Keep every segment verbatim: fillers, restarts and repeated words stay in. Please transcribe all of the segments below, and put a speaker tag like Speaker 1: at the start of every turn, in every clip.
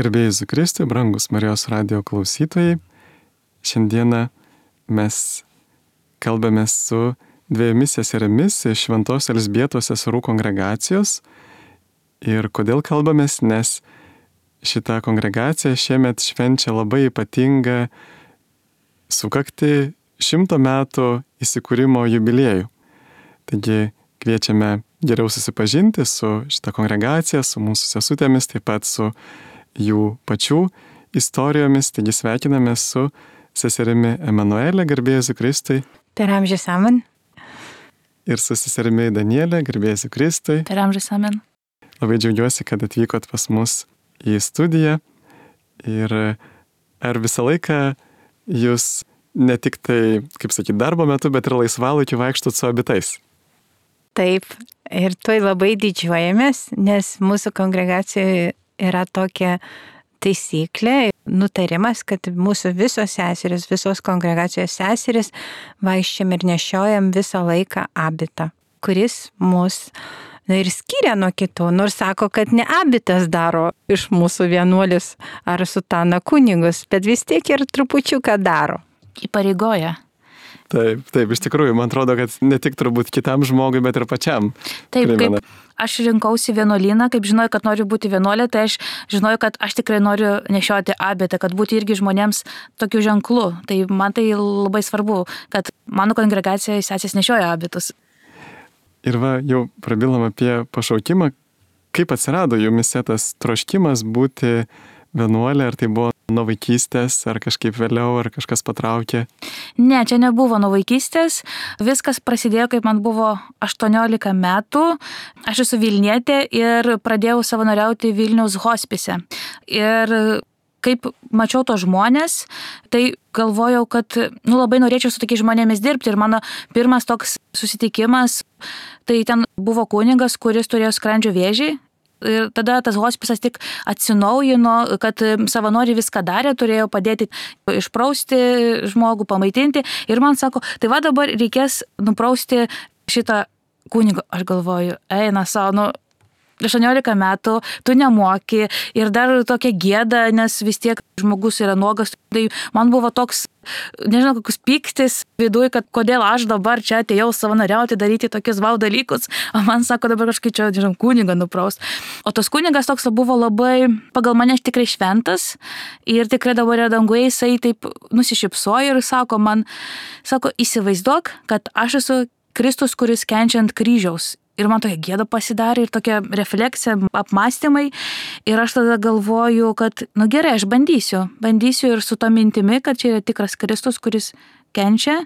Speaker 1: Garbė Jėzui Kristui, brangus Marijos radijo klausytojai. Šiandieną mes kalbame su dviejomis seserimis iš Šventos Elzbietos seserų kongregacijos. Ir kodėl kalbamės? Nes šita kongregacija šiemet švenčia labai ypatingą sukakti šimto metų įsikūrimo jubiliejų. Taigi kviečiame geriau susipažinti su šita kongregacija, su mūsų sesutėmis, taip pat su jų pačių istorijomis. Taigi sveikiname su seserimi Emanuelė, garbė Jėzui Kristui.
Speaker 2: Per amžius amen.
Speaker 1: Ir su seserimi Danielė, garbė Jėzui Kristui.
Speaker 2: Per amžius amen.
Speaker 1: Labai džiaugiuosi, kad atvykot pas mus į studiją. Ir ar visą laiką jūs ne tik tai, kaip sakyti, darbo metu, bet ir laisvalaikiu vaikštot su abitais?
Speaker 2: Taip, ir tuoj labai didžiuojamės, nes mūsų kongregacijoje yra tokia taisyklė, nutarimas, kad mūsų visos seserys, visos kongregacijos seserys vaikščiam ir nešiojam visą laiką abitą, kuris mus na, ir skiria nuo kitų, nors sako, kad ne abitas daro iš mūsų vienuolis ar sutana kunigus, bet vis tiek ir trupučiuką daro.
Speaker 3: Įpareigoja.
Speaker 1: Taip, taip, iš tikrųjų, man atrodo, kad ne tik turbūt kitam žmogui, bet ir pačiam.
Speaker 3: Taip,
Speaker 1: primena.
Speaker 3: kaip aš rinkausi vienuolyną, kaip žinojau, kad noriu būti vienuolė, tai aš žinojau, kad aš tikrai noriu nešioti abitą, kad būti irgi žmonėms tokiu ženklu. Tai man tai labai svarbu, kad mano kongregacijoje sesės nešioja abitus.
Speaker 1: Ir va, jau prabilom apie pašaukimą. Kaip atsirado jumise tas troškimas būti vienuolė, ar tai buvo nuo vaikystės, ar kažkaip vėliau, ar kažkas patraukė?
Speaker 3: Ne, čia nebuvo nuo vaikystės. Viskas prasidėjo, kaip man buvo aštuoniolika metų. Aš esu Vilnietė ir pradėjau savanoriauti Vilniaus hospise. Ir kaip mačiau tos žmonės, tai galvojau, kad nu, labai norėčiau su tokiais žmonėmis dirbti. Ir mano pirmas toks susitikimas, tai ten buvo kunigas, kuris turėjo skrandžio vėžį. Ir tada tas hospisas tik atsinaujino, kad savanoriai viską darė, turėjo padėti išprausti žmogų, pamaitinti. Ir man sako, tai va dabar reikės nuprausti šitą kunigą. Aš galvoju, eina savo, nu, aštuoniolika metų, tu nemoki ir dar tokia gėda, nes vis tiek žmogus yra nuogas. Tai man buvo toks, nežinau, kokius pyktis viduj, kad kodėl aš dabar čia atėjau savanoriauti, daryti tokius vau dalykus, o man sako dabar kažkaip čia, nežinau, kunigą nupraust. O tas kunigas toks buvo labai, pagal mane tikrai šventas ir tikrai dabar yra danguje, jisai taip nusišypsojo ir sako man, sako, įsivaizduok, kad aš esu Kristus, kuris kenčia ant kryžiaus. Ir man tokia gėda pasidarė ir tokia refleksija, apmąstymai. Ir aš tada galvoju, kad, nu gerai, aš bandysiu. Bandysiu ir su to mintimi, kad čia yra tikras Kristus, kuris kenčia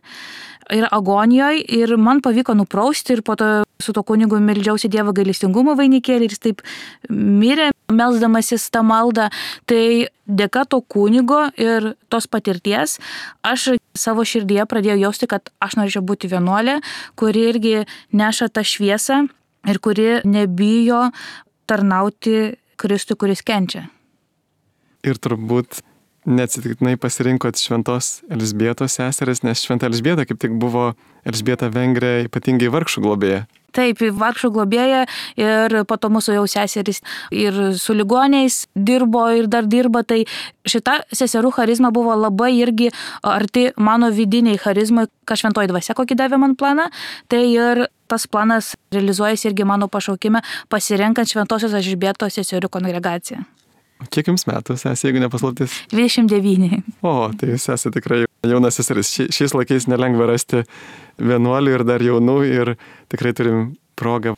Speaker 3: ir agonijoje. Ir man pavyko nuprausti ir po to su to kunigu meldžiausi Dievo gailestingumo vainikėlį ir jis taip mirė, melsdamasis tą maldą. Tai dėka to kunigo ir tos patirties aš savo širdyje pradėjau jausti, kad aš norėčiau būti vienuolė, kuri irgi neša tą šviesą ir kuri nebijo tarnauti Kristui, kuris kenčia.
Speaker 1: Ir turbūt neatsitiktinai pasirinkot Šventos Elzbietos seseris, nes Šventa Elzbieta kaip tik buvo Elzbieta Vengrė ypatingai vargšų globėja.
Speaker 3: Taip, vargšų globėja ir po to mūsų jau seserys ir su ligoniais dirbo ir dar dirba. Tai šita seserų charizma buvo labai irgi arti mano vidiniai charizmai, ką šventoji dvasia kokį davė man planą. Tai ir tas planas realizuojasi irgi mano pašaukime pasirenkant Šventosios Elzbietos seserų kongregaciją.
Speaker 1: Kiek jums metų, sesė, jeigu nepaslaptis?
Speaker 3: dvidešimt devyni.
Speaker 1: O, tai jūs esate tikrai jauna seseris. Ši, šiais laikais nelengva rasti vienuolių ir dar jaunų ir tikrai turim progą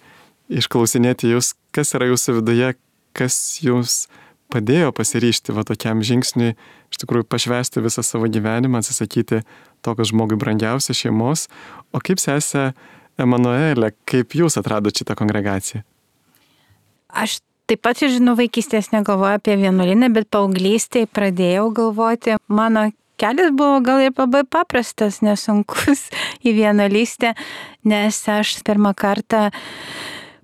Speaker 1: išklausinėti jūs, kas yra jūsų viduje, kas jums padėjo pasiryžti va tokiam žingsniui, iš tikrųjų pašvęsti visą savo gyvenimą, atsisakyti to, kas žmogui brangiausia, šeimos. O kaip sesė Emanuelė, kaip jūs atradote šitą kongregaciją?
Speaker 2: Aš taip pat, žinau, vaikystės negalvoju apie vienuolyną, bet paauglystėje pradėjau galvoti. Mano kelias buvo gal ir labai paprastas, nesunkus į vienuolystę, nes aš pirmą kartą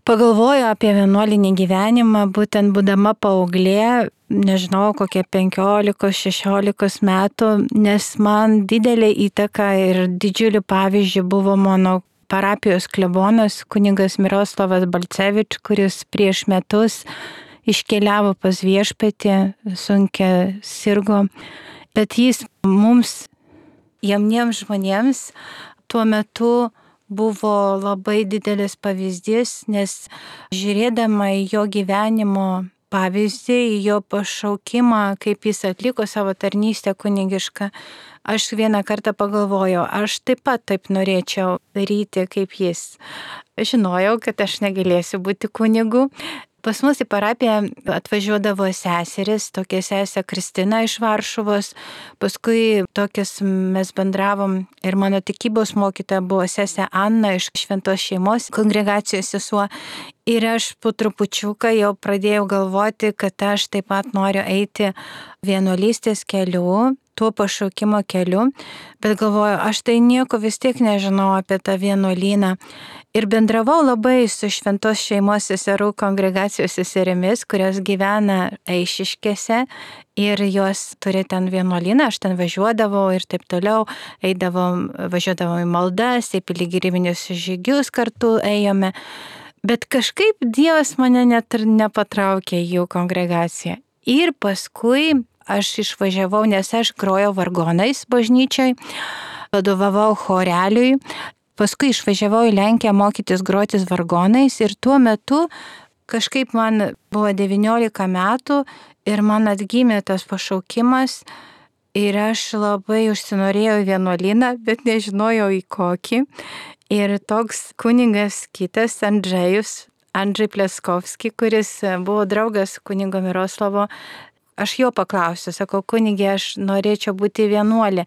Speaker 2: pagalvoju apie vienuolinį gyvenimą, būtent būdama paauglė, nežinau, kokie penkiolikos, šešiolikos metų, nes man didelė įtaka ir didžiulių pavyzdžių buvo mano parapijos klebonas kunigas Miroslavas Balcevič, kuris prieš metus iškeliavo pas viešpatį, sunkia sirgo, bet jis mums, jauniems žmonėms, tuo metu buvo labai didelis pavyzdys, nes žiūrėdama į jo gyvenimo pavyzdį, į jo pašaukimą, kaip jis atliko savo tarnystę kunigišką, aš vieną kartą pagalvojau, aš taip pat taip norėčiau daryti kaip jis. Žinojau, kad aš negalėsiu būti kunigu. Pas mus į parapiją atvažiuodavo seseris, tokia sesė Kristina iš Varšuvos, paskui tokias mes bendravom ir mano tikybos mokytoja buvo sesė Anna iš Šventos šeimos kongregacijos sesuo. Ir aš po trupučiuką jau pradėjau galvoti, kad aš taip pat noriu eiti vienuolystės keliu, tuo pašaukimo keliu, bet galvoju, aš tai nieko vis tiek nežinau apie tą vienuolyną. Ir bendravau labai su Šventos šeimos seserų kongregacijos seserimis, kurios gyvena Eišiškėse ir jos turi ten vienuolyną, aš ten važiuodavau ir taip toliau, eidavom, važiuodavom į maldas, į piligriminius žygius kartu ėjome. Bet kažkaip Dievas mane net ir nepatraukė į jų kongregaciją. Ir paskui aš išvažiavau, nes aš grojau vargonais bažnyčioj, vadovavau choreliui. Paskui išvažiavau į Lenkiją mokytis grotis vargonais ir tuo metu kažkaip man buvo devyniolika metų ir man atgimė tas pašaukimas ir aš labai užsinorėjau į vienuolyną, bet nežinojau į kokį. Ir toks kunigas kitas, Andžejus, Andžej Pleskovski, kuris buvo draugas kunigo Miroslavo, aš jo paklausiu, sakau, kunigė, aš norėčiau būti vienuolė.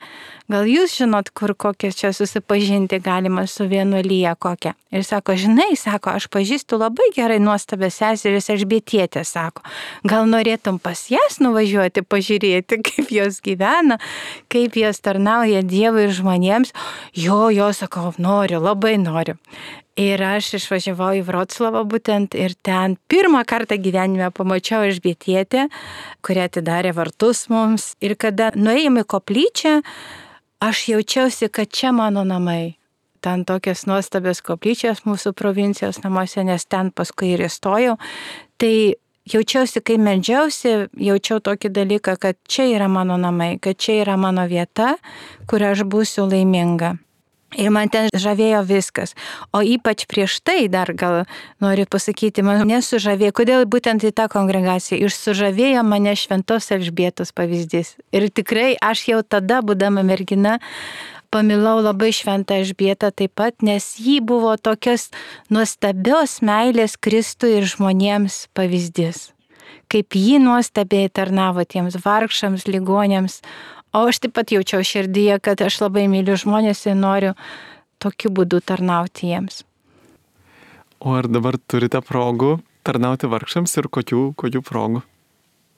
Speaker 2: Gal jūs žinot, kur kokią čia susipažinti galima su vienuolyje kokią? Ir sako, žinai, sako, aš pažįstu labai gerai nuostabę seseris Elžbietietę, sako. Gal norėtum pas jas nuvažiuoti, pažiūrėti, kaip jos gyvena, kaip jos tarnauja Dievui ir žmonėms? Jo, jo, sakau, noriu, labai noriu. Ir aš išvažiavau į Vroclavą būtent ir ten pirmą kartą gyvenime pamačiau Elžbietietę, kuri atidarė vartus mums. Ir kada nuėjome į koplyčią, aš jaučiausi, kad čia mano namai. Ten tokios nuostabios koplyčios mūsų provincijos namuose, nes ten paskui ir įstojau. Tai jaučiausi, kai meldžiausi, jaučiau tokį dalyką, kad čia yra mano namai, kad čia yra mano vieta, kur aš būsiu laiminga. Ir man ten žavėjo viskas. O ypač prieš tai dar gal noriu pasakyti, man nesužavėjo, kodėl būtent į tą kongregaciją. Ir sužavėjo mane Šventos Elžbietos pavyzdys. Ir tikrai aš jau tada, būdama mergina, pamilau labai Šventą Elžbietą taip pat, nes ji buvo tokios nuostabios meilės Kristui ir žmonėms pavyzdys. Kaip ji nuostabiai tarnavo tiems vargšams, ligoniams. O aš taip pat jaučiau širdyje, kad aš labai myliu žmonės ir noriu tokiu būdu tarnauti jiems.
Speaker 1: O ar dabar turite progų tarnauti vargšams ir kokių, kokių progų?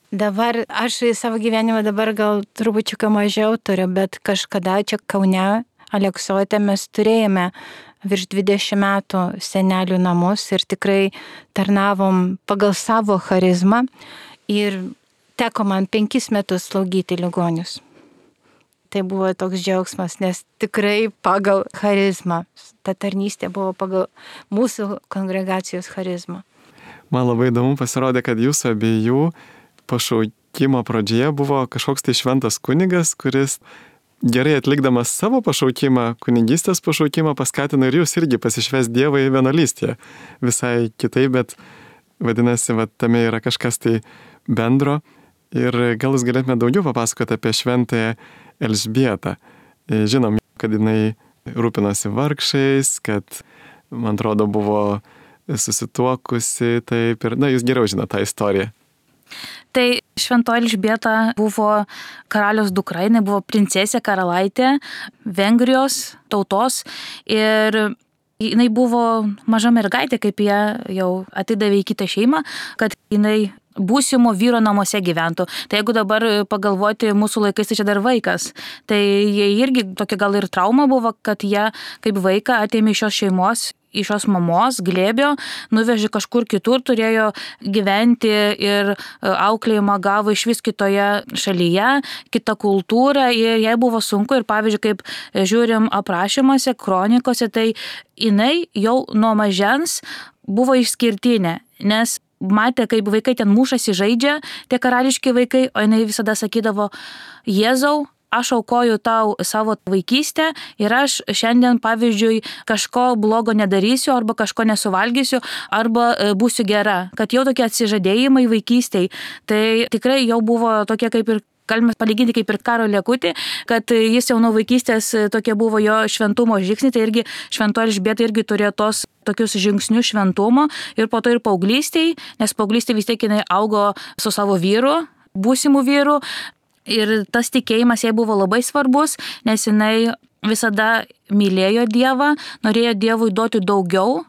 Speaker 2: Dabar aš į savo gyvenimą dabar gal trupučiuką mažiau turiu, bet kažkada čia Kaune, Aleksote mes turėjome virš dvidešimt metų senelių namus ir tikrai tarnavom pagal savo charizmą ir teko man penkis metus slaugyti ligonius. Tai buvo toks džiaugsmas, nes tikrai pagal charizmą. Ta tarnystė buvo pagal mūsų kongregacijos charizmą.
Speaker 1: Man labai įdomu pasirodė, kad jūsų abiejų pašaukimo pradžioje buvo kažkoks tai šventas kunigas, kuris gerai atlikdamas savo pašaukimą, kunigystės pašaukimą, paskatino ir jūs irgi pasišvęs Dievą į vienuolystę. Visai kitaip, bet vadinasi, va, tame yra kažkas tai bendro. Ir gal jūs galėtume daugiau papasakoti apie Šventąją Elžbietą. Žinom, kad jinai rūpinosi vargšais, kad, man atrodo, buvo susituokusi, taip ir, na, jūs geriau žinote tą istoriją.
Speaker 3: Tai Šventoji Elžbieta buvo karaliaus dukra, jinai buvo princesė karalaitė Vengrijos tautos ir jinai buvo maža mergaitė, kaip ją jau atidavė į kitą šeimą, kad jinai būsimo vyro namuose gyventų. Tai jeigu dabar pagalvoti mūsų laikais, tai čia dar vaikas. Tai jie irgi tokia gal ir trauma buvo, kad jie kaip vaiką atėmė iš šios šeimos, iš šios mamos, glėbio, nuvežė kažkur kitur, turėjo gyventi ir auklėjimą gavo iš vis kitoje šalyje, kita kultūra ir jai buvo sunku ir pavyzdžiui, kaip žiūrim aprašymuose, kronikose, tai jinai jau nuo mažens buvo išskirtinė, nes matė, kaip vaikai ten mušasi žaidžia, tie karališki vaikai, o jinai visada sakydavo, Jėzau, aš aukoju tau savo vaikystę ir aš šiandien, pavyzdžiui, kažko blogo nedarysiu arba kažko nesuvalgysiu arba būsiu gera. Kad jau tokie atsižadėjimai vaikystėj, tai tikrai jau buvo tokie kaip ir, galime palyginti kaip ir Karo Liekutį, kad jis jau nuo vaikystės tokie buvo jo šventumo žingsniai, tai irgi šventoji Elžbieta irgi turėjo tos tokius žingsnius šventumo ir po to ir paauglystėj, nes paauglystėj vis tiek jinai augo su savo vyru, būsimu vyru. Ir tas tikėjimas jai buvo labai svarbus, nes jinai visada mylėjo Dievą, norėjo Dievui duoti daugiau.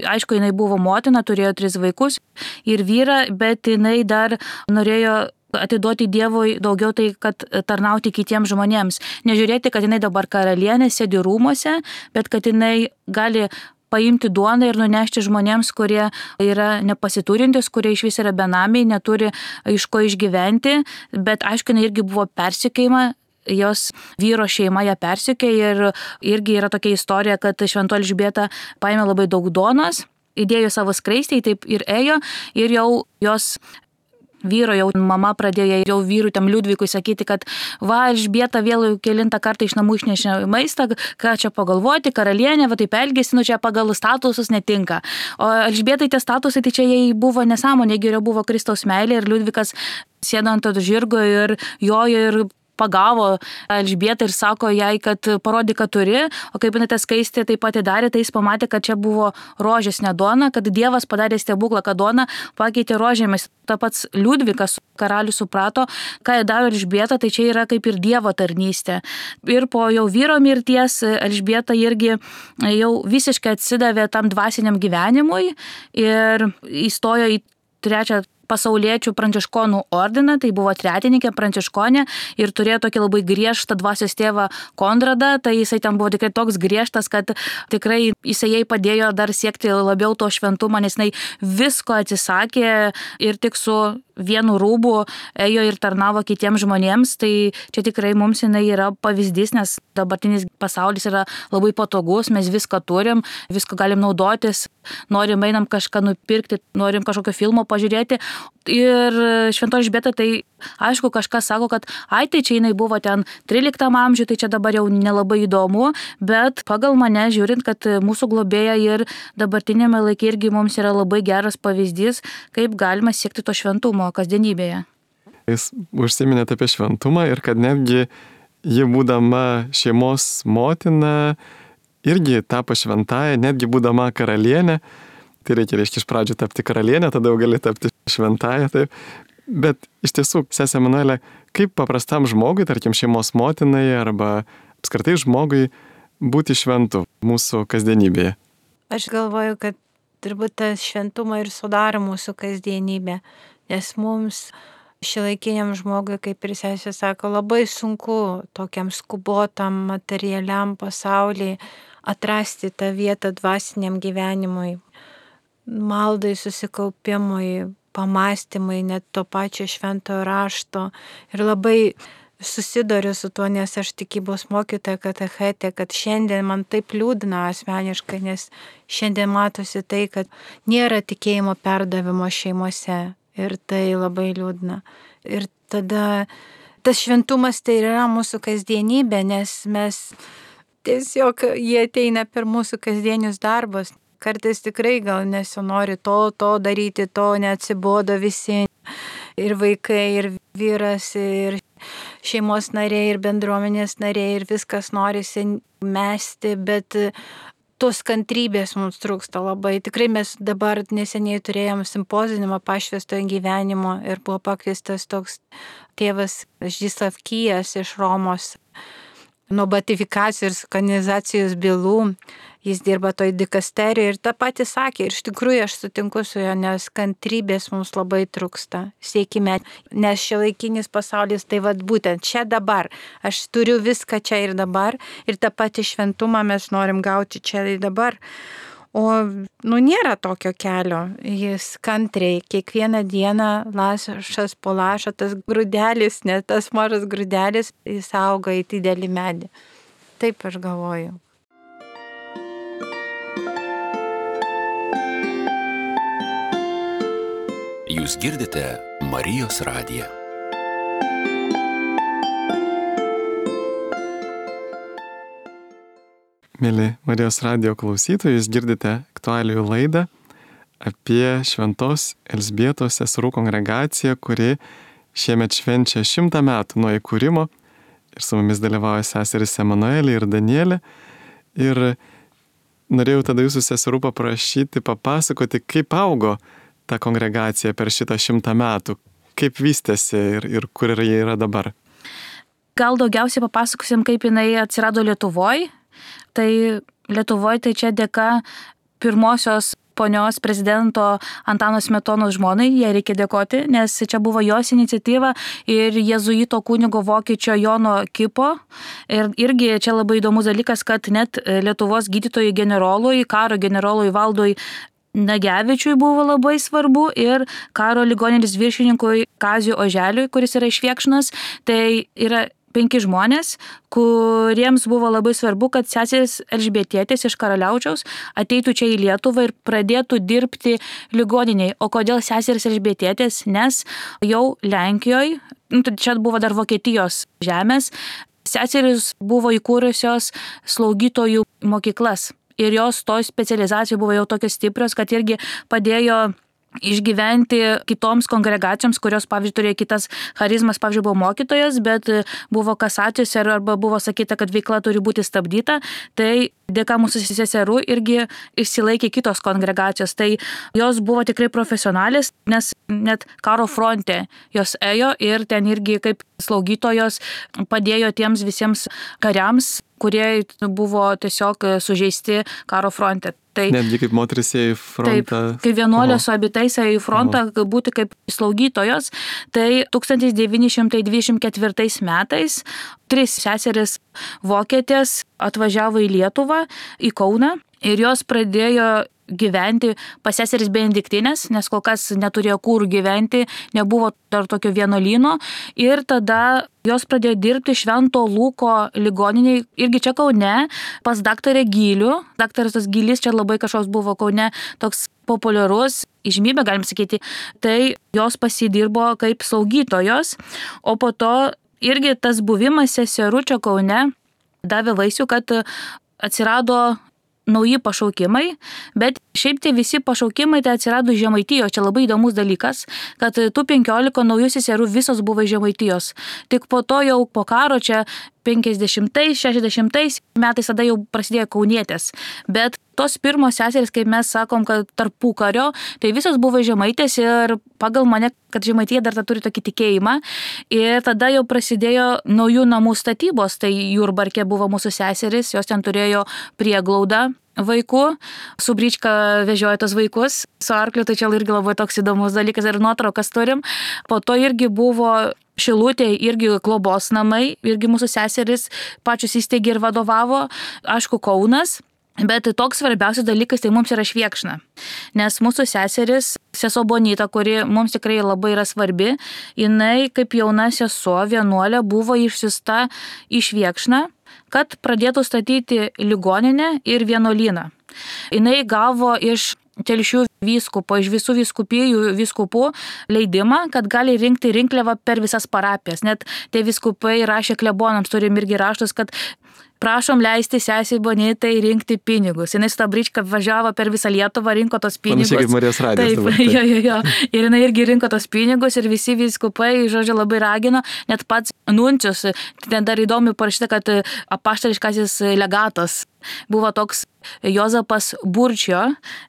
Speaker 3: Aišku, jinai buvo motina, turėjo tris vaikus ir vyrą, bet jinai dar norėjo atiduoti Dievui daugiau tai, kad tarnauti kitiems žmonėms. Nežiūrėti, kad jinai dabar karalienė sėdi rūmuose, bet kad jinai gali paimti duoną ir nunešti žmonėms, kurie yra nepasiturintis, kurie iš vis yra benamiai, neturi iš ko išgyventi, bet aišku, jinai irgi buvo persekiojama, jos vyro šeima ją persekiojo ir irgi yra tokia istorija, kad šventoji Elžbieta paėmė labai daug duonos, įdėjo savo skraistę, taip ir ėjo ir jau jos vyro jau mama pradėjo jau vyrui tam Liudvikui sakyti, kad va, Elžbieta vėl jau kelintą kartą iš namų išnešė maistą, ką čia pagalvoti, karalienė, va taip elgėsi, nu čia pagal statusus netinka. O Elžbietai tie statusai, tai čia jai buvo nesąmonė, geriau buvo Kristaus meilė ir Liudvikas sėdo ant to žirgo ir jojo ir pagavo Elžbietą ir sako jai, kad parodė, kad turi, o kaip jinai tą skaistę taip pat darė, tai jis pamatė, kad čia buvo rožės ne duona, kad Dievas padarė stebuklą, kad duona pakeitė rožėmis. Ta pats Liudvikas karalius suprato, ką jie daro Elžbieta, tai čia yra kaip ir Dievo tarnystė. Ir po jau vyro mirties Elžbieta irgi jau visiškai atsidavė tam dvasiniam gyvenimui ir įstojo į trečią pasauliečių pranciškonų ordiną, tai buvo tretininkė pranciškonė ir turėjo tokį labai griežtą dvasios tėvą Konradą, tai jisai ten buvo tikrai toks griežtas, kad tikrai jisai jai padėjo dar siekti labiau to šventumo, nes jinai visko atsisakė ir tik su vienu rūbu ėjo ir tarnavo kitiems žmonėms, tai čia tikrai mums jinai yra pavyzdys, nes dabartinis pasaulis yra labai patogus, mes viską turim, viską galim naudotis, norim einam kažką nupirkti, norim kažkokio filmo pažiūrėti. Ir šventoji Elžbieta tai aišku kažkas sako, kad ai tai čia jinai buvo ten tryliktam amžiui, tai čia dabar jau nelabai įdomu, bet pagal mane žiūrint, kad mūsų globėja ir dabartinėme laikė irgi mums yra labai geras pavyzdys, kaip galima siekti to šventumo kasdienybėje.
Speaker 1: Jūs užsiminėte apie šventumą ir kad netgi ji būdama šeimos motina irgi tapo šventąja, netgi būdama karalienė. Tai reikia, reiškia, iš pradžių tapti karalienė, tada jau gali tapti šventąja. Taip. Bet iš tiesų, sesė Emanuelė, kaip paprastam žmogui, tarkim šeimos motinai arba apskritai žmogui būti šventu mūsų kasdienybėje?
Speaker 2: Aš galvoju, kad turbūt tas šventumą ir sudaro mūsų kasdienybė, nes mums šiuolaikiniam žmogui, kaip ir sesė sako, labai sunku tokiam skubotam materialiam pasauliui atrasti tą vietą dvasiniam gyvenimui, maldai, susikaupimui, pamastymai, net to pačio šventojo rašto. Ir labai susiduriu su tuo, nes aš tikybos mokytoja katechetė, kad šiandien man taip liūdna asmeniškai, nes šiandien matosi tai, kad nėra tikėjimo perdavimo šeimose. Ir tai labai liūdna. Ir tada tas šventumas tai yra mūsų kasdienybė, nes mes tiesiog jie ateina per mūsų kasdienius darbus. Kartais tikrai gal nesinori to, to daryti, to neatsibodo visi. Ir vaikai, ir vyras, ir šeimos nariai, ir bendruomenės nariai, ir viskas norisi mesti, bet tos kantrybės mums trūksta labai. Tikrai mes dabar neseniai turėjom simpozinimą pašvęstojo gyvenimo ir buvo pakviestas toks tėvas Žyslav Kijas iš Romos. Nuo beatifikacijos ir kanonizacijos bylų. Jis dirba toj dikasterijoje ir tą patį sakė. Ir iš tikrųjų aš sutinku su juo, nes kantrybės mums labai trūksta. Siekime, nes šiuolaikinis pasaulis tai vad būtent čia dabar. Aš turiu viską čia ir dabar ir tą patį šventumą mes norim gauti čia ir dabar. O nu nėra tokio kelio. Jis kantriai kiekvieną dieną lašas po lašo, tas grūdelis, ne tas mažas grūdelis, jis auga į didelį medį. Taip aš galvoju.
Speaker 4: Jūs girdite Marijos radiją.
Speaker 1: Mėly Marijos radijo klausytojai, jūs girdite aktualijų laidą apie Šventos Elzbietos seserų kongregaciją, kuri šiemet švenčia šimtą metų nuo įkūrimo. Ir su mumis dalyvauja seserys Emanuelė ir Danielė. Ir norėjau tada jūsų seserų paprašyti, papasakoti, kaip augo ta kongregacija per šitą šimtą metų, kaip vystėsi ir, ir kur jie yra dabar.
Speaker 3: Gal daugiausiai papasakosim, kaip jinai atsirado Lietuvoje. Tai Lietuvoje tai čia dėka pirmosios ponios prezidento Antano Smetonos žmonai, jai reikia dėkoti, nes čia buvo jos iniciatyva ir jėzuito kunigo vokiečio Jono Kipo. Ir irgi čia labai įdomus dalykas, kad net Lietuvos gydytojui generolui, karo generolui Valdui Nagevičiui buvo labai svarbu ir karo ligoninės viršininkui Kaziui Oželiui, kuris yra iš Viekšnos. Tai yra penki žmonės, kuriems buvo labai svarbu, kad seserys Elžbietietės iš Karaliaučiaus ateitų čia į Lietuvą ir pradėtų dirbti ligoniniai. O kodėl seserys Elžbietietės? Nes jau Lenkijoje, nu, čia buvo dar Vokietijos žemės, seserys buvo įkūrusios slaugytojų mokyklas. Ir jos to specializacijų buvo jau tokios stiprios, kad irgi padėjo išgyventi kitoms kongregacijoms, kurios, pavyzdžiui, turėjo kitas charizmas, pavyzdžiui, buvo mokytojas, bet buvo kasacijos arba buvo sakyta, kad veikla turi būti stabdyta. Tai dėka mūsų seserų irgi išsilaikė kitos kongregacijos. Tai jos buvo tikrai profesionalės, nes net karo fronte jos ėjo ir ten irgi kaip slaugytojos padėjo tiems visiems kariams, kurie buvo tiesiog sužeisti karo fronte. Tai,
Speaker 1: netgi kaip moteris ėjo į frontą.
Speaker 3: Taip, kai vienuolė su abitais ėjo į frontą, Oho. būti kaip slaugytojos, tai tūkstantis devyni šimtai dvidešimt ketvirtais metais tris seseris vokietės atvažiavo į Lietuvą, į Kauną ir jos pradėjo gyventi pas seseris Benediktinės, nes kol kas neturėjo kur gyventi, nebuvo dar tokio vienuolyno. Ir tada jos pradėjo dirbti Švento Luko ligoniniai, irgi čia Kaune, pas daktarę Gylių. Daktaras tas Gylys čia labai kažkoks buvo Kaune toks populiarus, įžymybė, galim sakyti. Tai jos pasidirbo kaip slaugytojos, o po to irgi tas buvimas seserų čia Kaune davė vaisių, kad atsirado nauji pašaukimai, bet šiaip tie visi pašaukimai tai atsirado Žemaitijos. Čia labai įdomus dalykas, kad tų penkiolika naujų seserų visos buvo Žemaitijos. Tik po to jau po karo čia penkiasdešimtais, šešiasdešimtais metais tada jau prasidėjo kaunietės. Bet tos pirmos seserys, kaip mes sakom, kad tarpukario, tai visos buvo Žemaitės ir pagal mane, kad Žemaitija dar turi tokį tikėjimą. Ir tada jau prasidėjo naujų namų statybos. Tai Jurbarke buvo mūsų seserys, jos ten turėjo prieglaudą vaikų, su Bryčka vežiojo tos vaikus, su arkliu, tai čia irgi labai toks įdomus dalykas ir nuotraukas turim. Po to irgi buvo Šilutėje irgi globos namai, irgi mūsų seserys pačius įsteigė ir vadovavo, aišku, Kaunas. Bet toks svarbiausias dalykas tai mums yra Viekšna, nes mūsų seseris, sesuo Bonita, kuri mums tikrai labai yra svarbi, jinai kaip jauna sesuo vienuolė buvo išsiųsta iš Viekšną, kad pradėtų statyti ligoninę ir vienuolyną. Jinai gavo iš Telšių vyskupo, iš visų vyskupijų vyskupų leidimą, kad gali rinkti rinkliavą per visas parapijas. Net tie vyskupai rašė klebonams, turim irgi raštus, kad prašom leisti sesei Bonitai rinkti pinigus. Jinai su ta Bryčka važiavo per visą Lietuvą, rinko tos pinigus.
Speaker 1: Panašiai kaip Marijos radijas.
Speaker 3: Taip, taip. Jo, jo, jo. Ir jinai irgi rinko tos pinigus ir visi vyskupai, žodžiu, labai ragino. Net pats nuncius, ten dar įdomi parašyta, kad apaštališkasis legatas buvo toks Jozapas Burčio,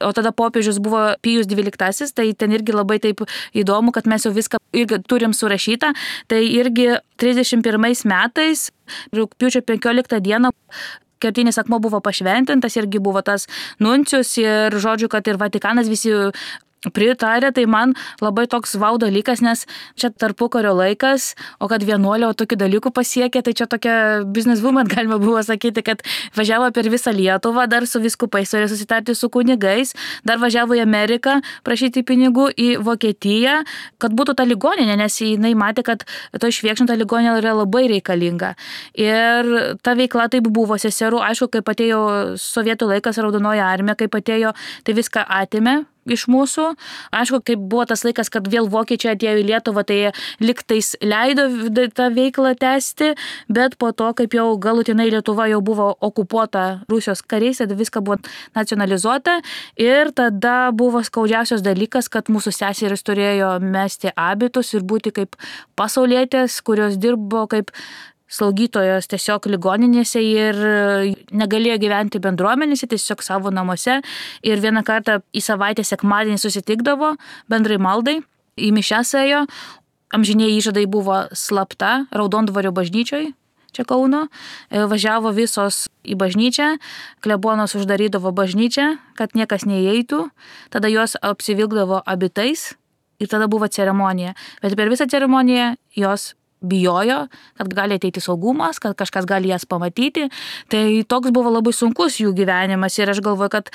Speaker 3: o tada popiežius buvo Pijus dvyliktasis, tai ten irgi labai taip įdomu, kad mes jau viską irgi turim surašytą. Tai irgi trisdešimt pirmais metais, rugpjūčio penkioliktą dieną, kertinis akmuo buvo pašventintas, irgi buvo tas nuncius ir žodžiu, kad ir Vatikanas visi pritarė, tai man labai toks vau dalykas, nes čia tarpukario laikas, o kad vienuolė tokių dalykų pasiekė, tai čia tokia business woman galima buvo sakyti, kad važiavo per visą Lietuvą, dar su vyskupais turėjo susitarti su kunigais, dar važiavo į Ameriką prašyti pinigų, į Vokietiją, kad būtų ta ligoninė, nes jinai matė, kad to išviekšinta ligoninė yra labai reikalinga. Ir ta veikla taip buvo seserų, aišku, kaip atėjo sovietų laikas, Raudonoji armija, kaip atėjo, tai viską atėmė iš mūsų. Aišku, kai buvo tas laikas, kad vėl vokiečiai atėjo į Lietuvą, tai liktais leido tą veiklą tęsti, bet po to, kaip jau galutinai Lietuva jau buvo okupuota Rusijos kariais, tada viską buvo nacionalizuota ir tada buvo skaudžiausias dalykas, kad mūsų seserys turėjo mesti abitus ir būti kaip pasaulietės, kurios dirbo kaip slaugytojos tiesiog ligoninėse ir negalėjo gyventi bendruomenėse, tiesiog savo namuose. Ir vieną kartą į savaitę sekmadienį susitikdavo bendrai maldai, į mišias ėjo. Amžiniai įžadai buvo slapta Raudondvario bažnyčioj, čia Kauno. Važiavo visos į bažnyčią, klebonas uždarydavo bažnyčią, kad niekas neįeitų. Tada jos apsivilkdavo abitais ir tada buvo ceremonija. Bet per visą ceremoniją jos bijojo, kad gali ateiti saugumas, kad kažkas gali jas pamatyti. Tai toks buvo labai sunkus jų gyvenimas ir aš galvoju, kad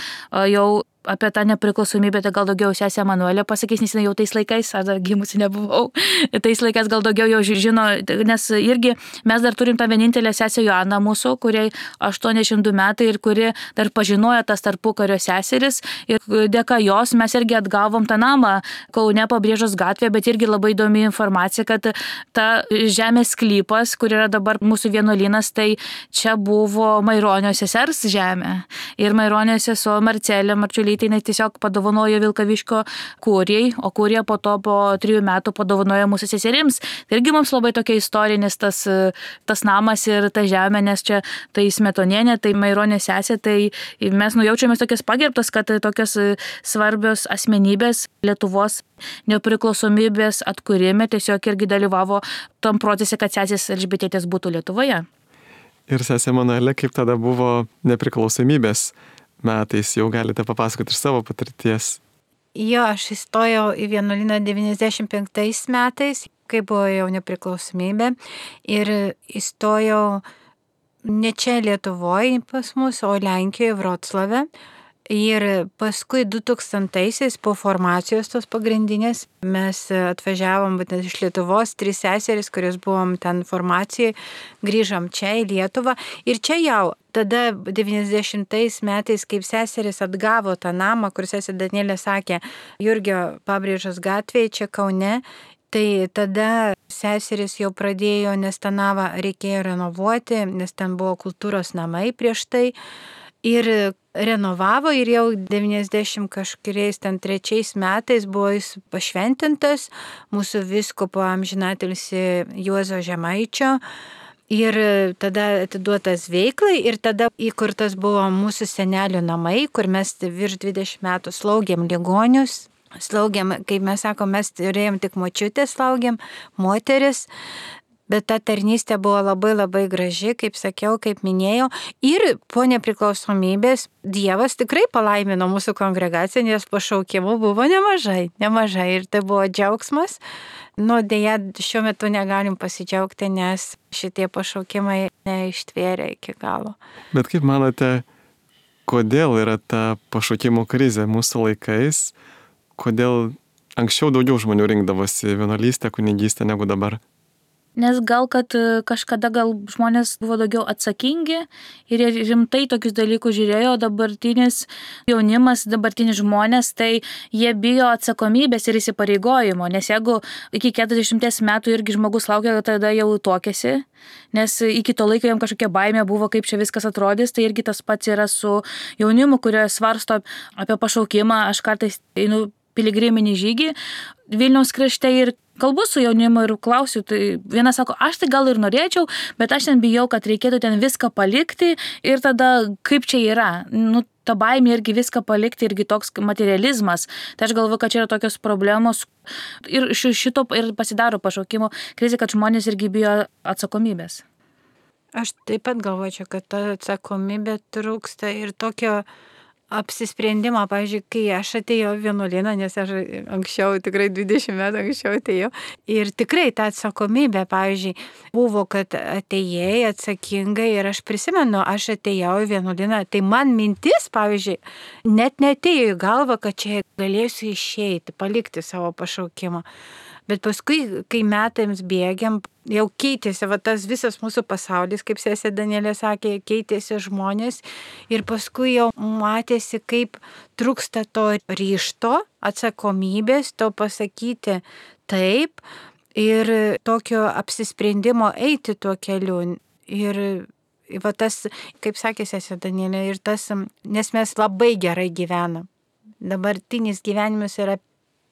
Speaker 3: jau apie tą nepriklausomybę tai gal daugiau sesė Emanuelė pasakys, nes jau tais laikais, aš dar gimusi nebuvau, tais laikais gal daugiau jau žino, nes irgi mes dar turim tą vienintelę sesę Joaną mūsų, kuriai aštuoniasdešimt du metai ir kuri dar pažinojo tas tarpukario seseris ir dėka jos mes irgi atgavom tą namą Kaune Pabrėžos gatvėje, bet irgi labai įdomi informacija, kad ta žemės sklypas, kur yra dabar mūsų vienuolynas, tai čia buvo Maironio sesers žemė. Ir Maironio sesuo Marcelė Marčiulytė tai jinai tiesiog padovanojo Vilkaviškio kūrijai, o kūrija po to po trijų metų padovanojo mūsų seserims. Tai irgi mums labai tokia istorinis tas, tas namas ir ta žemė, nes čia tai Smetonienė, tai Maironė sesė, tai mes nujaučiamės tokias pagerbtas, kad tokios svarbios asmenybės Lietuvos nepriklausomybės atkūrime tiesiog irgi dalyvavo tam procese, kad sesės Elžbietės būtų Lietuvoje.
Speaker 1: Ir sesė Emanuelė, kaip tada buvo nepriklausomybės metais, jau galite papasakoti iš savo patirties.
Speaker 2: Jo, aš įstojau į vienuolyną devyniasdešimt penktais metais, kai buvo jau nepriklausomybė. Ir įstojau ne čia Lietuvoje pas mus, o Lenkijoje, Vroclave. Ir paskui du tūkstantaisiais po formacijos tos pagrindinės mes atvažiavom būtent iš Lietuvos, trys seserys, kurios buvom ten formacijai, grįžom čia į Lietuvą. Ir čia jau tada devyniasdešimtais metais, kaip seserys atgavo tą namą, kur sesė Danielė sakė, Jurgio Pabrėžos gatvėje, čia Kaune, tai tada seserys jau pradėjo, nes tą namą reikėjo renovuoti, nes ten buvo kultūros namai prieš tai. Ir renovavo ir jau devyniasdešimt kažkuriais ten trečiais metais buvo jis pašventintas mūsų vyskupo amžinatilsį Juozo Žemaičio. Ir tada atiduotas veiklai ir tada įkurtas buvo mūsų senelių namai, kur mes virš dvidešimt metų slaugėm ligonius. Slaugėm, kaip mes sakom, mes turėjom tik močiutę slaugėm, moteris. Bet ta tarnystė buvo labai labai graži, kaip sakiau, kaip minėjau. Ir po nepriklausomybės Dievas tikrai palaimino mūsų kongregaciją, nes pašaukimų buvo nemažai, nemažai. Ir tai buvo džiaugsmas. Nu, dėja, šiuo metu negalim pasidžiaugti, nes šitie pašaukimai neištvėrė iki galo.
Speaker 1: Bet kaip manote, kodėl yra ta pašaukimų krizė mūsų laikais? Kodėl anksčiau daugiau žmonių rinkdavosi vienuolystę, kunigystę negu dabar?
Speaker 3: Nes gal, kad kažkada gal žmonės buvo daugiau atsakingi ir rimtai tokius dalykus žiūrėjo, dabartinis jaunimas, dabartinis žmonės, tai jie bijo atsakomybės ir įsipareigojimo, nes jeigu iki keturiasdešimties metų irgi žmogus laukia, tada jau tuokėsi, nes iki to laiko jam kažkokia baimė buvo, kaip čia viskas atrodys, tai irgi tas pats yra su jaunimu, kurio svarsto apie pašaukimą. Aš kartais einu piligriminį žygį Vilniaus krašte ir kalbu su jaunimu ir klausiu, tai vienas sako, aš tai gal ir norėčiau, bet aš ten bijau, kad reikėtų ten viską palikti ir tada kaip čia yra. Nu, ta baimė irgi viską palikti, irgi toks materializmas. Tai aš galvoju, kad čia yra tokios problemos ir šito ir pasidaro pašaukimo krizė, kad žmonės irgi bijo atsakomybės.
Speaker 2: Aš taip pat galvočiau, kad ta atsakomybė trūksta ir tokio apsisprendimą, pavyzdžiui, kai aš atėjau vienuolyną, nes aš anksčiau, tikrai dvidešimt metų anksčiau atėjau. Ir tikrai ta atsakomybė, pavyzdžiui, buvo, kad atėjai atsakingai ir aš prisimenu, aš atėjau į vienuolyną, tai man mintis, pavyzdžiui, net netėjo į galvą, kad čia galėsiu išeiti, palikti savo pašaukimą. Bet paskui, kai metams bėgiam, jau keitėsi, va tas visas mūsų pasaulis, kaip sesė Danielė sakė, keitėsi žmonės ir paskui jau matėsi, kaip trūksta to ryžto, atsakomybės, to pasakyti taip ir tokio apsisprendimo eiti tuo keliu. Ir va tas, kaip sakė sesė Danielė, ir tas, nes mes labai gerai gyvenam. Dabartinis gyvenimas yra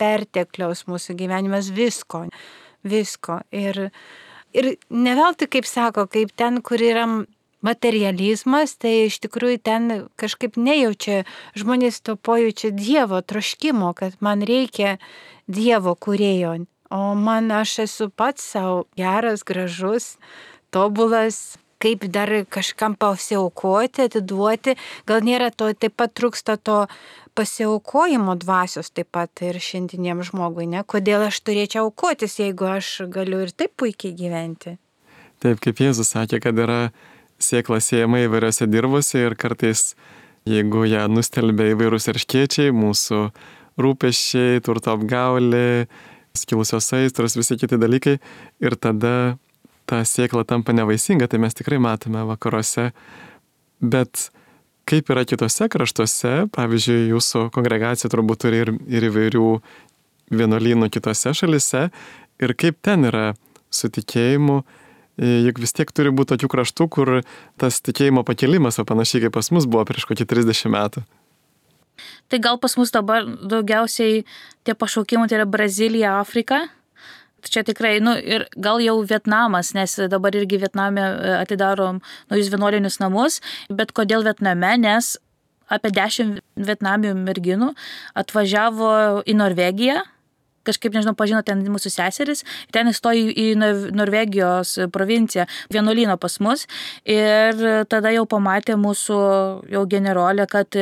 Speaker 2: pertekliaus mūsų gyvenimas visko, visko. Ir, ir ne veltui, kaip sako, kaip ten, kur yra materializmas, tai iš tikrųjų ten kažkaip nejaučia, žmonės to pojaučia Dievo troškimo, kad man reikia Dievo kūrėjo. O man aš esu pats savo geras, gražus, tobulas, kaip dar kažkam pasiaukoti, atiduoti. Gal nėra to, taip pat trūksta to pasiaukojimo dvasios taip pat ir šiandieniam žmogui, ne? Kodėl aš turėčiau aukotis, jeigu aš galiu ir taip puikiai gyventi?
Speaker 1: Taip, kaip Jėzus sakė, kad yra sėkla siejama įvairiose dirbose ir kartais, jeigu ją nustelbia įvairūs erškėčiai, mūsų rūpesčiai, turto apgaulė, skilusios aistros, visi kiti dalykai, ir tada ta sėkla tampa nevaisinga, tai mes tikrai matome vakaruose. Bet kaip yra kitose kraštuose, pavyzdžiui, jūsų kongregacija turbūt turi ir, ir įvairių vienuolynų kitose šalise, ir kaip ten yra su tikėjimu, juk vis tiek turi būti tokių kraštų, kur tas tikėjimo pakelimas, o panašiai kaip pas mus buvo prieš kokį trisdešimt metų.
Speaker 3: Tai gal pas mus dabar daugiausiai tie pašaukimai tai yra Brazilija, Afrika. Čia tikrai, nu ir gal jau Vietnamas, nes dabar irgi Vietname atidarom naujus vienuolinius namus, bet kodėl Vietname, nes apie dešimt vietnamių merginų atvažiavo į Norvegiją, kažkaip, nežinau, pažino ten mūsų seseris, ten įstojo į Norvegijos provinciją, vienuolyną pas mus, ir tada jau pamatė mūsų jau generolė, kad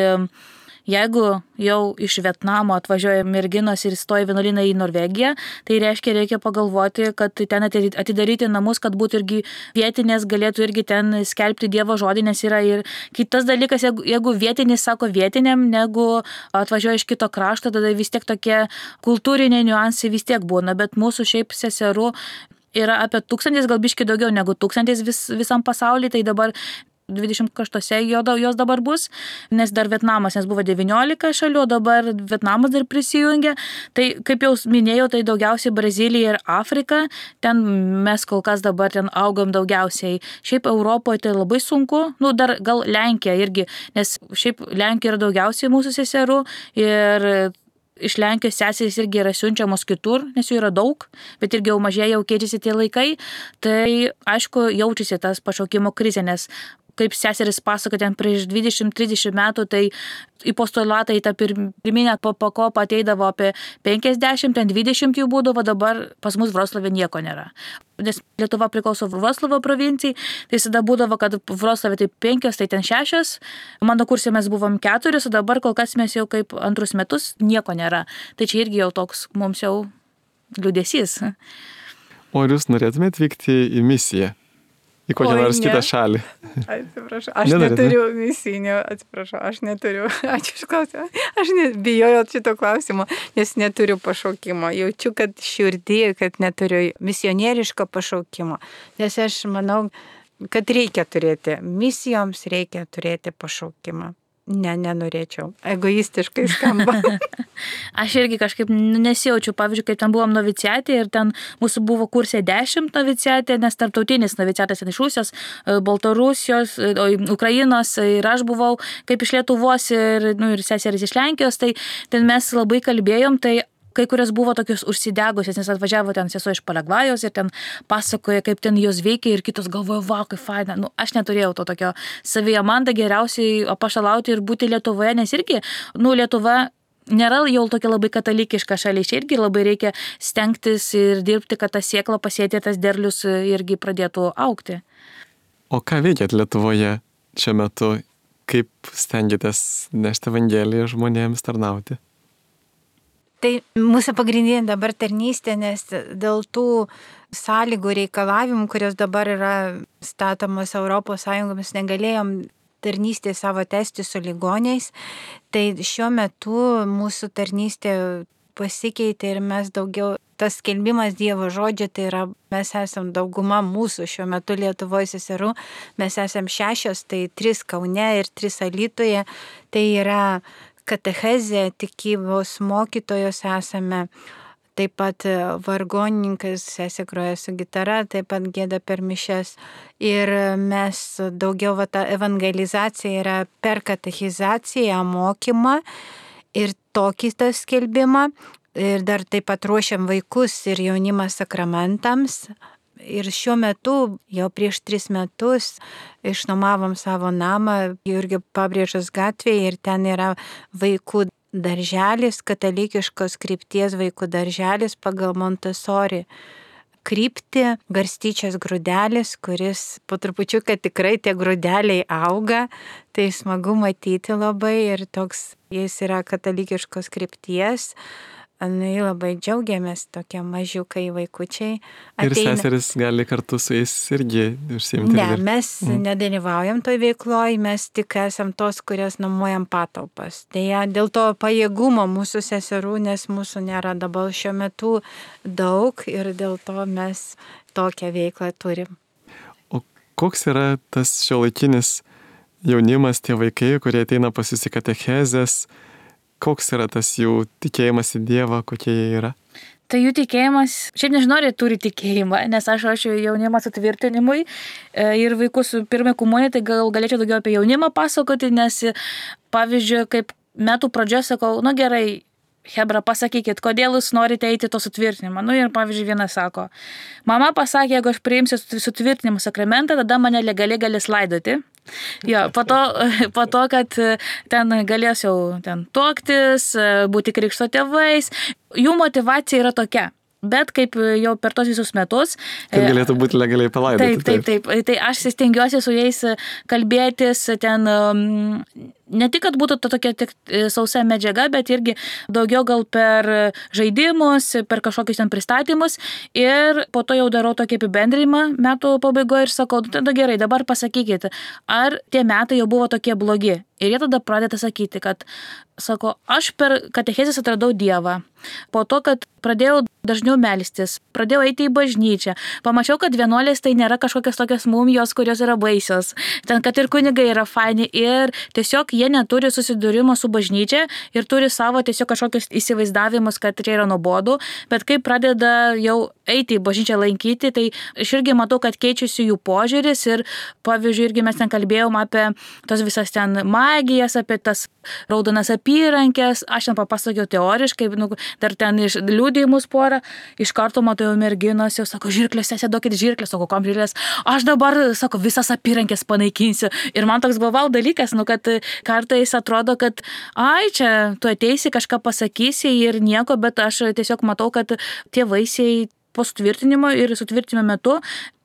Speaker 3: jeigu jau iš Vietnamo atvažiuoja merginos ir įstoja vienuolyną į Norvegiją, tai reiškia, reikia pagalvoti, kad ten atidaryti namus, kad būtų irgi vietinės, galėtų irgi ten skelbti Dievo žodį, nes yra ir kitas dalykas, jeigu, jeigu vietinis sako vietiniam, negu atvažiuoja iš kito krašto, tada vis tiek tokie kultūriniai niuansai vis tiek būna, bet mūsų šiaip seserų yra apie tūkstantis, gal biški daugiau negu tūkstantis vis, visam pasaulyje, tai dabar dvidešimt kraštuose jos dabar bus, nes dar Vietnamas, nes buvo devyniolika šalių, o dabar Vietnamas dar prisijungia. Tai, kaip jau minėjau, tai daugiausiai Brazilija ir Afrika, ten mes kol kas dabar ten augam daugiausiai. Šiaip Europoje tai labai sunku, nu dar gal Lenkija irgi, nes šiaip Lenkija yra daugiausiai mūsų seserų ir iš Lenkijos seserys irgi yra siunčiamos kitur, nes jų yra daug, bet irgi jau mažėja, jau keičiasi tie laikai. Tai aišku, jaučiasi tas pašaukimo krizė, nes kaip seseris pasako, ten prieš dvidešimt trisdešimt metų, tai į postulatą į tą pirminę pakopą ateidavo apie penkiasdešimt, ten dvidešimt jų būdavo, dabar pas mus Vroclave nieko nėra. Nes Lietuva priklauso Vroclavo provincijai, tai visada būdavo, kad Vroclave tai penkios, tai ten šešios. Mano kurse mes buvom keturis, o dabar kol kas mes jau kaip antrus metus nieko nėra. Tai čia irgi jau toks mums jau liūdesys.
Speaker 1: O ar jūs norėtumėte vykti į misiją? Į kokią nors kitą šalį?
Speaker 2: Atsiprašau, aš Nenorėt, neturiu ne? misijų, atsiprašau, aš neturiu, ačiū už klausimą, aš net bijojau šito klausimo, nes neturiu pašaukimo, jaučiu, kad širdį, kad neturiu misionieriško pašaukimo, nes aš manau, kad reikia turėti, misijoms reikia turėti pašaukimą. Ne, nenorėčiau. Egoistiškai skamba.
Speaker 3: Aš irgi kažkaip nesijaučiu. Pavyzdžiui, kaip ten buvom noviciatė ir ten mūsų buvo kursė dešimt noviciatė, nes tarptautinis noviciatės iš Rusijos, Baltarusijos, Ukrainos ir aš buvau kaip iš Lietuvos ir, nu, ir seseris iš Lenkijos, tai ten mes labai kalbėjom, tai kai kurios buvo tokios užsidegusios, nes atvažiavo ten sesuo iš Paragvajos ir ten pasakoja, kaip ten jos veikia ir kitos galvoja, va, kaip faina. Nu, aš neturėjau to tokio savyje, man tai geriausiai apaštalauti ir būti Lietuvoje, nes irgi, nu, Lietuva nėra jau tokia labai katalikiška šalis, irgi labai reikia stengtis ir dirbti, kad ta sėkla pasėti, tas derlius irgi pradėtų augti.
Speaker 1: O ką veikėt Lietuvoje šiuo metu? Kaip stengiatės nešti Evangeliją žmonėms tarnauti?
Speaker 2: Tai mūsų pagrindinė dabar tarnystė, nes dėl tų sąlygų reikalavimų, kurios dabar yra statomos Europos Sąjungomis, negalėjom tarnystė savo tęsti su ligoniais. Tai šiuo metu mūsų tarnystė pasikeitė ir mes daugiau tas skelbimas Dievo žodžio, tai yra, mes esam dauguma mūsų šiuo metu Lietuvoje seserų, mes esam šešios, tai trys Kaune ir trys Alytuje, tai yra katechezė, tikybos mokytojos esame. Taip pat vargonininkas, sesė groja su gitara, taip pat gėda per mišias. Ir mes daugiau, va, ta evangelizacija yra per katechizaciją, mokymą ir tokį tą skelbimą. Ir dar taip pat ruošiam vaikus ir jaunimą sakramentams. Ir šiuo metu, jau prieš tris metus, išnuomavom savo namą Jurgio Pabrėžos gatvėje ir ten yra vaikų darželis, katalikiškos krypties vaikų darželis pagal Montessori kryptį, garstyčias grūdelis, kuris po trupučiuką tikrai tie grūdeliai auga, tai smagu matyti labai ir toks jis yra katalikiškos krypties. Nu, labai džiaugiamės, tokie mažiukai vaikučiai.
Speaker 1: Ateina. Ir seseris gali kartu su jais irgi užsiimti.
Speaker 2: Ne, mes mm. nedalyvaujam toj veikloj, mes tik esam tos, kurias nuomojam patalpas. Deja, dėl to pajėgumo mūsų seserų, nes mūsų nėra dabar šiuo metu daug ir dėl to mes tokią veiklą turim.
Speaker 1: O koks yra tas šiuolaikinis jaunimas, tie vaikai, kurie ateina pas jūs į katechezes? Koks yra tas jų tikėjimas į Dievą, kokie jie yra?
Speaker 3: Tai jų tikėjimas, šiaip nežinau, ar jie turi tikėjimą, nes aš ruošiu jaunimą sutvirtinimui ir vaikus pirmai komunijai, tai gal galėčiau daugiau apie jaunimą pasakoti, nes pavyzdžiui, kaip metų pradžioje sakau, nu gerai, Hebra, pasakykit, kodėl jūs norite eiti to sutvirtinimą. Nu ir pavyzdžiui, vienas sako, mama pasakė, jeigu aš priimsiu sutvirtinimo sakramentą, tada mane legaliai galės laidoti. Jo, po to, po to, kad ten galės jau ten tuoktis, būti krikšto tėvais, jų motivacija yra tokia. Bet kaip jau per tos visus metus...
Speaker 1: Kad galėtų būti legaliai palaidoti.
Speaker 3: Taip, taip, taip. Tai aš stengiuosi su jais kalbėtis ten... Ne tik, kad būtų tokia tik sausa medžiaga, bet irgi daugiau gal per žaidimus, per kažkokius ten pristatymus. Ir po to jau darau tokį apibendrimą metų pabaigoje ir sakau, tada gerai, dabar pasakykite, ar tie metai jau buvo tokie blogi. Ir jie tada pradeda sakyti, kad, sako, aš per katechezes atradau Dievą. Po to, kad pradėjau dažniau melstis, pradėjau eiti į bažnyčią, pamačiau, kad vienuolės tai nėra kažkokios tokios mumijos, kurios yra baisios. Ten, kad ir kunigai yra faini ir tiesiog jie neturi susidūrimo su bažnyčia ir turi savo tiesiog kažkokius įsivaizdavimus, kad čia yra nuobodu, bet kai pradeda jau eiti į bažnyčią lankyti, tai aš irgi matau, kad keičiasi jų požiūris ir pavyzdžiui, irgi mes ten kalbėjom apie tos visas ten magijas, apie tas raudonas apyrankės, aš ten papasakiau teoriškai, nu, dar ten iš liudijimus porą, iš karto matau merginos, jau sako, žirklės, sesė, duokit žirklės, sako, kom žirklės, aš dabar, sako, visas apyrankės panaikinsiu. Ir man toks buvo dalykas, nu, kad kartais atrodo, kad, ai, čia tu ateisi, kažką pasakysi ir nieko, bet aš tiesiog matau, kad tie vaisiai po sutvirtinimo ir sutvirtinimo metu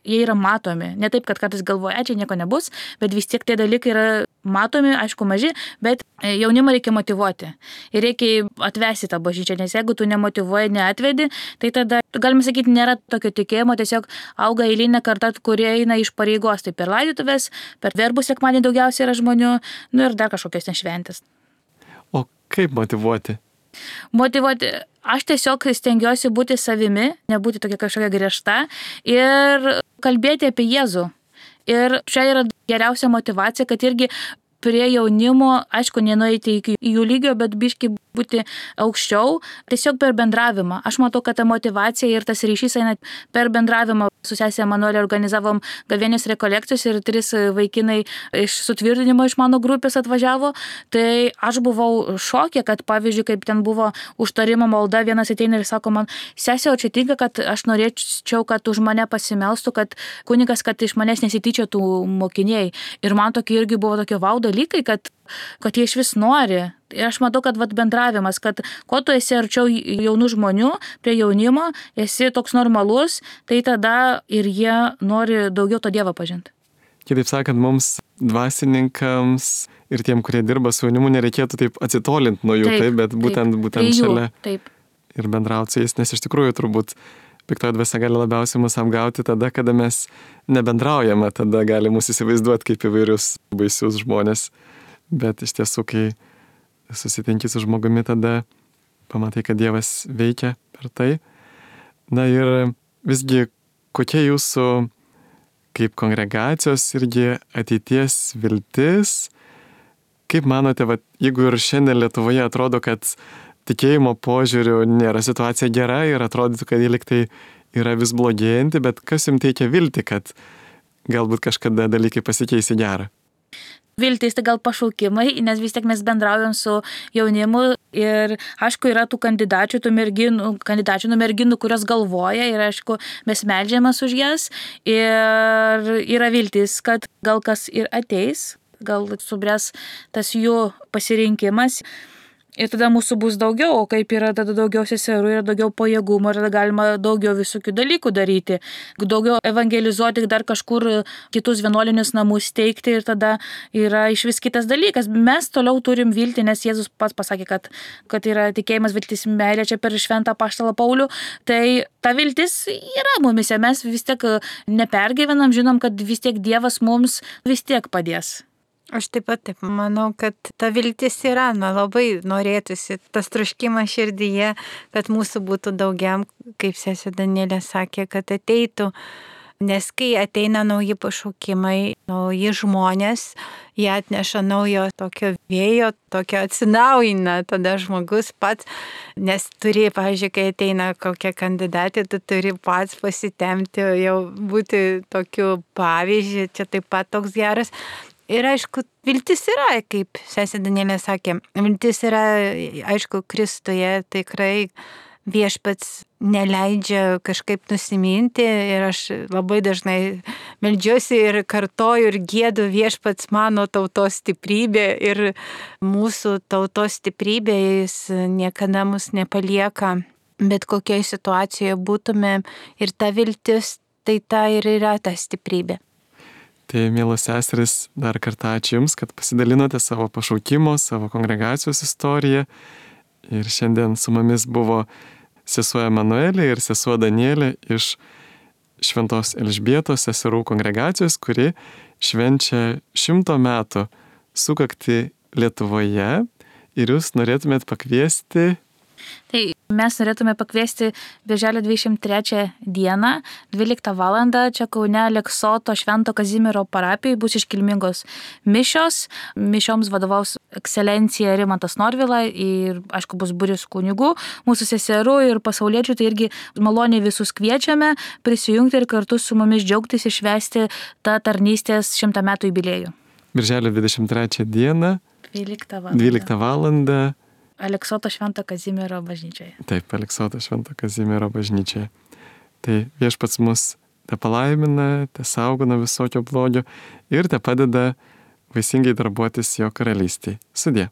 Speaker 3: jie yra matomi. Ne taip, kad kartais galvoja, čia nieko nebus, bet vis tiek tie dalykai yra matomi, aišku, maži, bet jaunimą reikia motyvuoti. Ir reikia atvesti tą bažnyčią, nes jeigu tu nemotyvuoji, neatvedi, tai tada, galima sakyti, nėra tokio tikėjimo, tiesiog auga eilinė karta, kurie eina iš pareigos, tai per laidotuvės, per verbų sekmadienį daugiausiai yra žmonių, nu ir dar kažkokios nešventės.
Speaker 1: O kaip motyvuoti?
Speaker 3: Motyvuoti, aš tiesiog stengiuosi būti savimi, nebūti tokia kažkokia griežta ir kalbėti apie Jėzų. Ir čia yra geriausia motyvacija, kad irgi prie jaunimo, aišku, nenueiti iki jų lygio, bet biški būti aukščiau, tiesiog per bendravimą. Aš matau, kad ta motivacija ir tas ryšys eina per bendravimą. Su sesė Emanuelė organizavom gavėnios rekolekcijos ir tris vaikinai iš sutvirtinimo iš mano grupės atvažiavo. Tai aš buvau šokė, kad pavyzdžiui, kaip ten buvo užtarimo malda, vienas ateina ir sako man, sesė, o čia tinka, kad aš norėčiau, kad už mane pasimelstų, kad kunigas, kad iš manęs nesityčiotų mokiniai. Ir man tokie irgi buvo tokie vau dalykai, kad kad jie iš vis nori. Ir aš matau, kad vat, bendravimas, kad kuo tu esi arčiau jaunų žmonių, prie jaunimo, esi toks normalus, tai tada ir jie nori daugiau to Dievą pažinti.
Speaker 1: Kitaip sakant, mums dvasininkams ir tiem, kurie dirba su jaunimu, nereikėtų taip atsitolinti nuo jų, taip, taip bet būtent,
Speaker 3: taip,
Speaker 1: būtent šalia
Speaker 3: taip.
Speaker 1: Ir bendrauti su jais, nes iš tikrųjų turbūt piktoji dvasia gali labiausiai mus apgauti tada, kada mes nebendraujame, tada gali mus įsivaizduoti kaip įvairius baisius žmonės. Bet iš tiesų, kai susitinki su žmogumi, tada pamatai, kad Dievas veikia per tai. Na ir visgi, kokia jūsų kaip kongregacijos irgi ateities viltis? Kaip manote, va, jeigu ir šiandien Lietuvoje atrodo, kad tikėjimo požiūriu nėra situacija gera ir atrodytų, kad jie liktai yra vis blogėjanti, bet kas jums teikia vilti, kad galbūt kažkada dalykai pasikeis į gerą?
Speaker 3: Viltis tai gal pašaukimai, nes vis tiek mes bendraujam su jaunimu ir aišku yra tų kandidačių, tų merginų, kandidačių, nu merginų, kurios galvoja ir aišku mes meldžiamės už jas ir yra viltis, kad gal kas ir ateis, gal subręs tas jų pasirinkimas. Ir tada mūsų bus daugiau, o kaip yra tada daugiau seserų, yra daugiau pajėgumų ir tada galima daugiau visokių dalykų daryti, daugiau evangelizuoti, dar kažkur kitus vienuolinius namus steigti ir tada yra iš vis kitas dalykas. Mes toliau turim viltį, nes Jėzus pats pasakė, kad, kad yra tikėjimas, viltis, meilė čia per šventą apaštalą Paulių, tai ta viltis yra mumise, mes vis tiek nepergyvenam, žinom, kad vis tiek Dievas mums vis tiek padės.
Speaker 2: Aš taip pat taip manau, kad ta viltis yra, na labai norėtųsi, tas troškimas širdyje, kad mūsų būtų daugiau, kaip sesė Danielė sakė, kad ateitų, nes kai ateina nauji pašaukimai, nauji žmonės, jie atneša naujo tokio vėjo, tokio atsinaujina, tada žmogus pats, nes turi, pavyzdžiui, kai ateina kokia kandidatė, tu turi pats pasitemti, jau būti tokiu pavyzdžiu, čia taip pat toks geras. Ir aišku, viltis yra, kaip sesė Danielė sakė, viltis yra, aišku, Kristuje, tikrai viešpats neleidžia kažkaip nusiminti ir aš labai dažnai meldžiuosi ir kartoju ir giedu viešpats mano tautos stiprybė ir mūsų tautos stiprybė, jis niekada mus nepalieka, bet kokioje situacijoje būtume ir ta viltis, tai ta ir yra ta stiprybė.
Speaker 1: Tai, mielos seserys, dar kartą ačiū Jums, kad pasidalinote savo pašaukimo, savo kongregacijos istoriją. Ir šiandien su mumis buvo sesuo Emanuelė ir sesuo Danielė iš Šventos Elžbietos seserų kongregacijos, kuri švenčia šimto metų sukaktį Lietuvoje. Ir Jūs norėtumėt pakviesti...
Speaker 3: Tai mes norėtume pakviesti birželio dvidešimt trečią dieną, dvyliktą valandą, čia Kaune Aleksoto Švento Kazimiero parapijai bus iškilmingos mišios. Mišioms vadovaus ekscelencija Rimantas Norvila ir, aišku, bus būris kunigų, mūsų seserų ir pasauliečių, tai irgi maloniai visus kviečiame prisijungti ir kartu su mumis džiaugtis ir švęsti tą tarnystės šimtą metų jubiliejų.
Speaker 1: Birželio dvidešimt trečią dieną, dvyliktą valandą.
Speaker 3: Aleksoto Švento Kazimiero bažnyčioje.
Speaker 1: Taip, Aleksoto Švento Kazimiero bažnyčioje. Tai viešpats mus te palaimina, te saugo nuo visokio blogio ir te padeda vaisingai darbuotis jo karalystėje. Sudie.